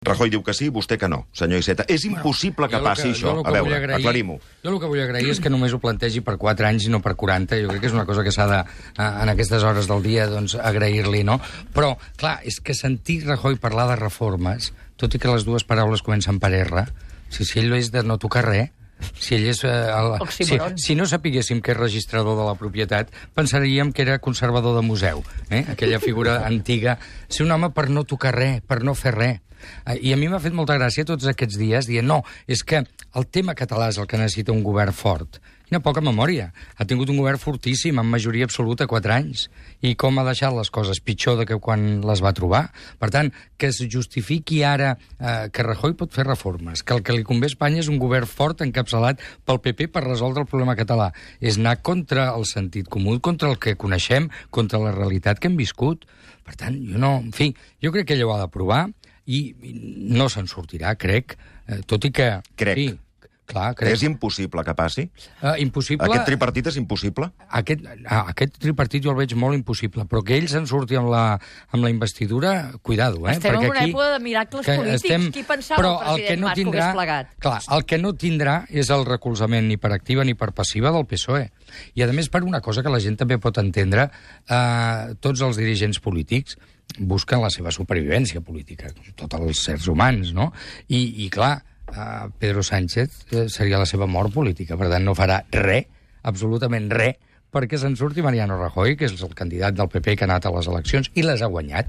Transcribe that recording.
Rajoy diu que sí, vostè que no, senyor Iceta. És impossible que passi això. A veure, aclarim-ho. Jo el que vull agrair és que només ho plantegi per 4 anys i no per 40. Jo crec que és una cosa que s'ha de, en aquestes hores del dia, doncs, agrair-li, no? Però, clar, és que sentir Rajoy parlar de reformes, tot i que les dues paraules comencen per R, si ell és de no tocar res, si ell és... si no sapiguéssim que és registrador de la propietat, pensaríem que era conservador de museu, aquella figura antiga. Ser un home per no tocar res, per no fer res. I a mi m'ha fet molta gràcia tots aquests dies dient no, és que el tema català és el que necessita un govern fort. Quina poca memòria. Ha tingut un govern fortíssim, amb majoria absoluta, 4 anys. I com ha deixat les coses pitjor de que quan les va trobar. Per tant, que es justifiqui ara que Rajoy pot fer reformes, que el que li convé a Espanya és un govern fort encapçalat pel PP per resoldre el problema català. És anar contra el sentit comú, contra el que coneixem, contra la realitat que hem viscut. Per tant, jo no... En fi, jo crec que ell ho ha de provar i no se'n sortirà, crec, tot i que... Crec. Sí, clar, crec. És impossible que passi? Impossible... Aquest tripartit és impossible? Aquest tripartit jo el veig molt impossible, però que ell se'n surti amb la investidura, cuidado, Estem en una època de miracles polítics. Qui pensava el president Mas que ho hagués plegat? Clar, el que no tindrà és el recolzament ni per activa ni per passiva del PSOE. I, a més, per una cosa que la gent també pot entendre, tots els dirigents polítics busquen la seva supervivència política, tots els éssers humans, no? I clar, Pedro Sánchez seria la seva mort política, per tant no farà res, absolutament res, perquè se'n surti Mariano Rajoy, que és el candidat del PP que ha anat a les eleccions i les ha guanyat.